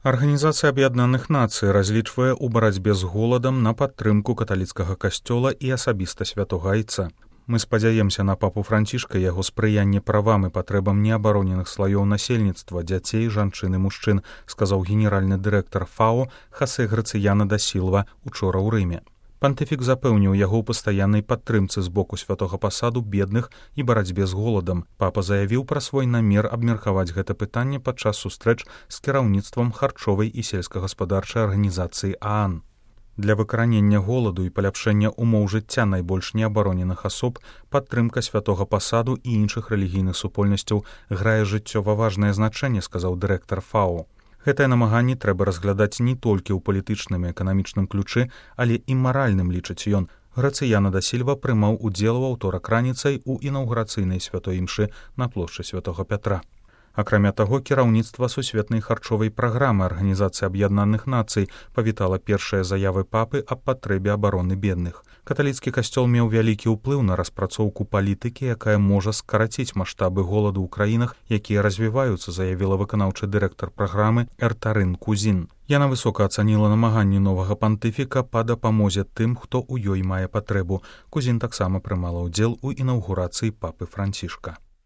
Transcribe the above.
Арганізацыя Аб'яднаных Нацый разлічвае ў барацьбе з голадам на падтрымку каталіцкага касцёла і асабіста святога айца. Мы спадзяемся на папу Францішка, яго спрыянне правам і патрэбам неабароненых слаёў насельніцтва, дзяцей, жанчын і мужчын, сказаў генеральны дырэктар ФАО Хосе Грацыяна да Сілва учора ў Рыме. Пантыфік запэўніў яго ў пастаяннай падтрымцы з боку святога пасаду бедных і барацьбе з голадам. Папа заявіў пра свой намер абмеркаваць гэта пытанне падчас сустрэч з кіраўніцтвам харчовай і сельскагаспадарчай арганізацыі ААН. Для выкаранення голаду і паляпшэння умоў жыцця найбольш неабароненых асоб падтрымка святога пасаду і іншых рэлігійных супольнасцяў грае жыццёва важнае значэнне, сказаў дырэктар ФАО. Гэтае намаганне трэба разглядаць не толькі ў палітычным і эканамічным ключы, але і маральным, лічыць ён. Грацыяна да Сільва прымаў удзел у аўторак раніцай у інаўгурацыйнай святой імшы на плошчы святога Пятра. Акрамя таго, кіраўніцтва сусветнай харчовай праграмы Арганізацыі Аб'яднаных Нацый павітала першыя заявы папы аб патрэбе абароны бедных. Каталіцкі касцёл меў вялікі ўплыў на распрацоўку палітыкі, якая можа скараціць маштабы голаду ў краінах, якія развіваюцца, заявіла выканаўчы дырэктар праграмы Эртарын Кузін. Яна высока ацаніла намаганні новага пантыфіка па дапамозе тым, хто ў ёй мае патрэбу. Кузін таксама прымала ўдзел у інаўгурацыі папы Францішка.